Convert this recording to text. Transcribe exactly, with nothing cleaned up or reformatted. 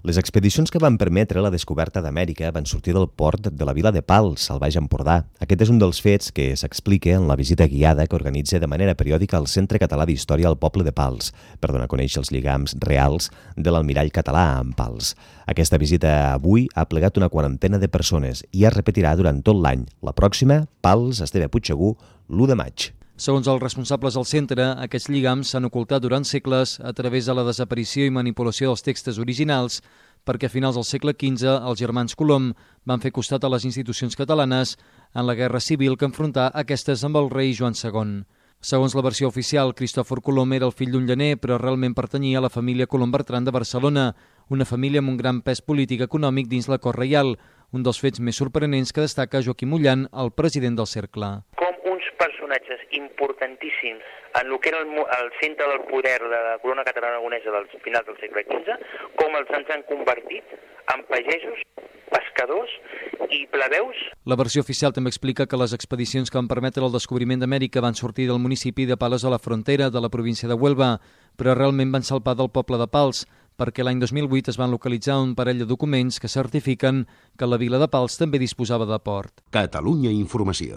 Les expedicions que van permetre la descoberta d'Amèrica van sortir del port de la vila de Pals, al Baix Empordà. Aquest és un dels fets que s'explica en la visita guiada que organitza de manera periòdica el Centre Català d'Història al poble de Pals, per donar a conèixer els lligams reals de l'almirall català amb Pals. Aquesta visita avui ha plegat una quarantena de persones i es repetirà durant tot l'any. La pròxima, Pals, Esteve Puigsegur, l'u de maig. Segons els responsables del centre, aquests lligams s'han ocultat durant segles a través de la desaparició i manipulació dels textos originals perquè a finals del segle quinze els germans Colom van fer costat a les institucions catalanes en la guerra civil que enfrontà aquestes amb el rei Joan segon. Segons la versió oficial, Cristòfor Colom era el fill d'un llaner, però realment pertanyia a la família Colom Bertran de Barcelona, una família amb un gran pes polític econòmic dins la cort reial, un dels fets més sorprenents que destaca Joaquim Ullan, el president del cercle. Personatges importantíssims en el que era el, el centre del poder de la corona catalana aragonesa dels finals del segle quinze, com els ens han convertit en pagesos, pescadors i plebeus. La versió oficial també explica que les expedicions que van permetre el descobriment d'Amèrica van sortir del municipi de Palos a la Frontera, de la província de Huelva, però realment van salpar del poble de Pals, perquè l'any dos mil vuit es van localitzar un parell de documents que certifiquen que la vila de Pals també disposava de port. Catalunya Informació.